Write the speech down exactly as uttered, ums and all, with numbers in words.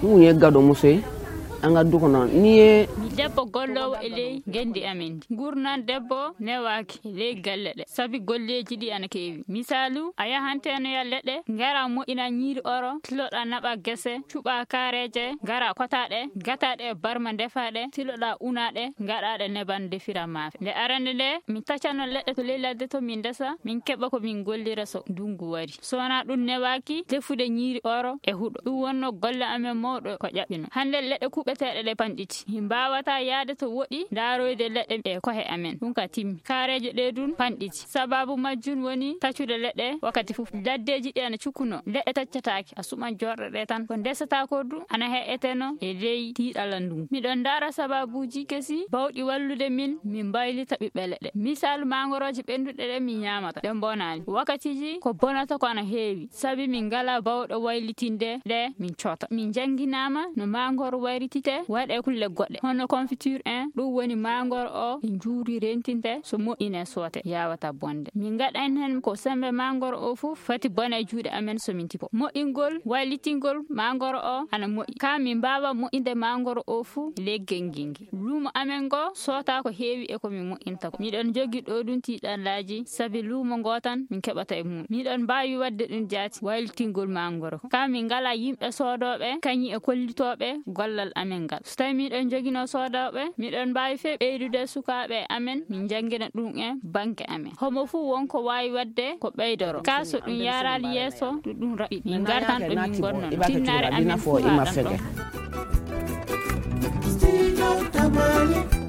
Ɗum ye gado musoy, an ga duko non. Ni ye mi debbo golloowo e ley ngenndi amen ndi. Ngurndan debbo newaaki e ley galle ɗe, sabi golleeji ɗi ana keewi. Misaalu, a yahanteno ya leɗɗe, ngara moƴƴina ñiiri oro, tiloɗa naɓa gese, cuɓa kaareeje, ngara kotaaɗe, gataaɗe e barma ndefaaɗe, tiloɗa unaaɗe, ngaɗaaɗe neban ndefira maafe. Nde arande nde, min taccano leɗɗe to ley ladde to min ndesa, min keɓa ko min gollira so ndunngu wari. So wonaa ɗum newaaki defude ñiiri oro e huɗo. Ɗum wonno golle amen mawɗo ko ƴaɓɓino. Hannde leɗɗe kuɓeteeɗe ɗe panɗiti. Min mbaawata yaade to woɗi ndaaroyde leɗɗe e kohe amen. Ɗum ka timmi. Kaareeje ɗe ɗum panɗiti. Sababu majjum woni taccude leɗɗe wakkati fof. Laddeeji ɗi ana cukkuno. Leɗɗe taccataake. A suɓan jorɗe ɗe tan. Ko ndesata ko ɗum ana he'eteno e ley tiiɗalla ndungu. Miɗon ndaara sababuuji kesi bawɗi wallude min, min mbaylita ɓiɓɓe leɗɗe. Misaalu, mangorooje ɓennduɗe ɗe min ñaamata, ɗe mbonaani. Wakkatiiji ko bonata ko ana heewi, sabi min ngalaa bawɗo waylitinde ɗe, min coota. Min njannginaama no mangoro wayritite, waɗe kulle goɗɗe, hono confiture en, ɗum woni mangoro o e njuuri rentinte, so moƴƴine soote, yawata bonde. Min ngaɗan heen ko semmbe mangoro o fof fati bona e juuɗe amen so min tipo. Moƴƴingol, waylitingol mangoro o ana moƴƴi. Kaa min mbaawa moƴƴinde mangoro o fof ley genngingi. Luumo amen ngo soota ko heewi e ko min moƴƴinta ko. Miɗon jogi ɗo ɗum tiiɗallaaji, sabi luumo ngo tan min keɓata e mum. Miɗon mbaawi waɗde ɗum jaati, waylitingol mangoro. Kaa min ngalaa yimɓe soodooɓe, kañum e kollitooɓe gollal amen ngal. So tawii miɗon joginoo soodooɓe, miɗon mbaawi fee ɓeydude sukaaɓe amen, min njanngina ɗum e banke amen. Homo fuu won ko waawi waɗde ko ɓeydoro. Kaa so ɗum yaraali yeeso, ɗum ɗum raɓɓiɗi. Min ngartan ɗo min ngonnono. Tinnaare amen fuu haa ɗon ɗo. Studio Tamale.